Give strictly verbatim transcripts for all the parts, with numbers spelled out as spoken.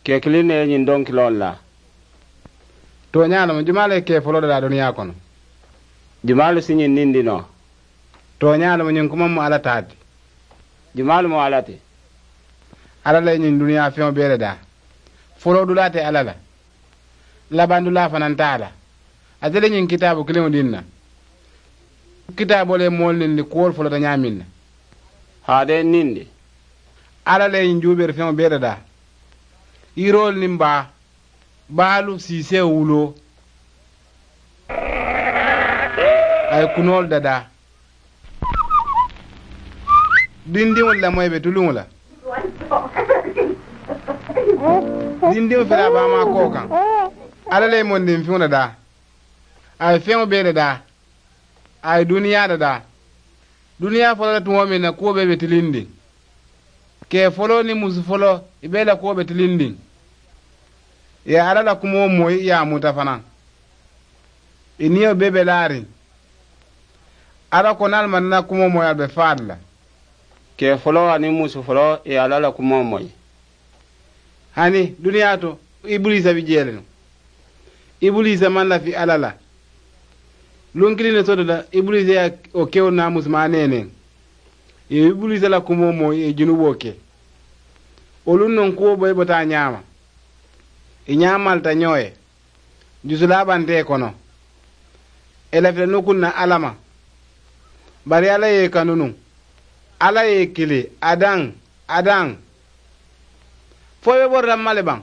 Kekiliŋ ne ye ñiŋ donkiloolu la. Tooñaa le mu jumaalu ye kee foloo dadaa duniyaa kono? Jumaalu si ñiŋ nindi noo? Tooñaa le mu ñiŋ kuma mu alla taa ti? Jumaalu mu alla ti? Alla le ye ñiŋ duniyaa feŋo bee dadaa. Foloo dulaa te alla la. Labandulaa fanaŋ te a la. Ate le ñiŋ kitaabu kiliŋo diŋ na. Kitaaboo le ye moolu nindi kuwolu folota ñaameŋ na. Haa de nindi. Alla le ye ñiŋ juubeeri feŋo bee dadaa. Yiroolu niŋ baa, baalu siisee wuloo. A ye kunoolu dadaa. Dindiŋolu lamoyi be tuluŋo la. Dindiŋo fele a baamaa koo kaŋ. Alla le ye mondiŋ fiŋo dadaa. A ye feŋo bee dadaa. A ye duniyaa dadaa. Duniyaa foloo la tumoo meŋ na kuwo bee be tilindiŋ. Kee foloo niŋ musu foloo i bee la kuwo be tilindiŋ. Ì ye alla la kumoo moyi ì ye a muta fanaŋ. Ì niyo bee be laariŋ. Alla ko niŋ ali maŋ na kumoo moyi ali be faa le la. Kee foloo aniŋ musu foloo ì ye alla la kumoo moyi. Hani duniyaa to, ibuliisa bi jee le nuŋ. Ibuliisa maŋ lafi alla la. Luŋ kiliŋ ne soto la ibuliisa ye wo kewo naa musumaa neeneŋ. Ì ye ibuliisa la kumoo moyi ì ye junuboo ke. Wo luŋ noŋ kuwo boyi bota a ñaama. Ì ñaamalita ñoo ye. Jusulaa banta ì kono. Ì lafita nukuŋ na alla ma. Bari alla ye ì kanu nuŋ. Alla ye ì kili adaŋ, adaŋ. Fo i be borita mma le baŋ?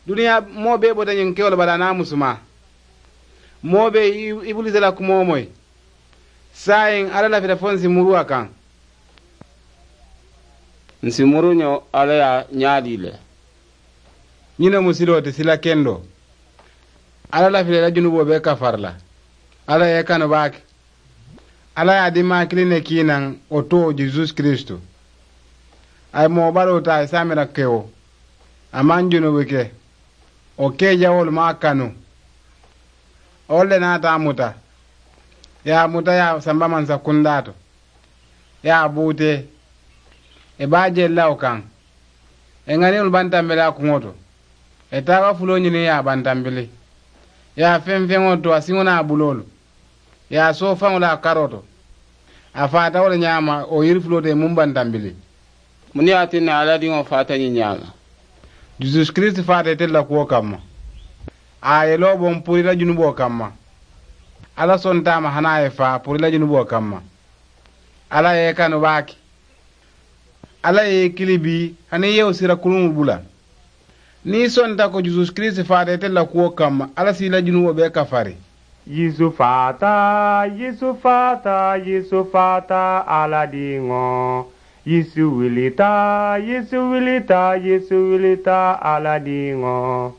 Duniyaa moo bee bota ñiŋ kewo le bala a naa musumaa. Moo bee ibuliisa la kumoo moyi. Saayiŋ alla lafita fo n si muru a kaŋ. N si muru ñoo alla ye a ñaadii le. Ñiŋ ne mu siloo ti sila kendoo. Alla lafita i la junuboo bee kafari la. Alla ye i kanu baake. Alla ye a dimmaa kiliŋ ne kii naŋ wo too jesusi kiristu. A ye moo baloo taa i saamira kewo. A maŋ junubu ke. Wo kee jawoolu maŋ a kanu. Wolu le naata a muta. Ì ye a muta ì ye a samba mansa kundaa to. Ì ye a buutee. Ì be a jee le la wo kaŋ. Ì ŋaniŋolu bantambili a kuŋo to. Ì taaba fuloo ñiniŋ ì ye a bantambili. Ì ye a feŋ feŋo to a siŋo niŋ a buloolu. Ì ye a soo faŋo la a karoo to. A faata wo le ñaama wo yiri fuloo to ì muŋ bantambili. Muŋ ne ye a tinna alla diŋo faata ñiŋ ñaama? Jesusi kiristi faata itelu la kuwo kamma. A ye i loo boŋ puru i la junuboo kamma. Alla sonta a ma hani a ye faa puru i la junuboo kamma. Alla ye i kanu baake. Alla ye i kili bii hani i ye wo sira kuluŋo bula. Niŋ i sonta ko jesusi kiristi faata itelu la kuwo kamma alla si i la junuboo bee kafari. Yesu faata, Yesu faata, Yesu faata, Alla diŋo. Yesu wilita, Yesu wilita, Yesu wilita, Alla diŋo.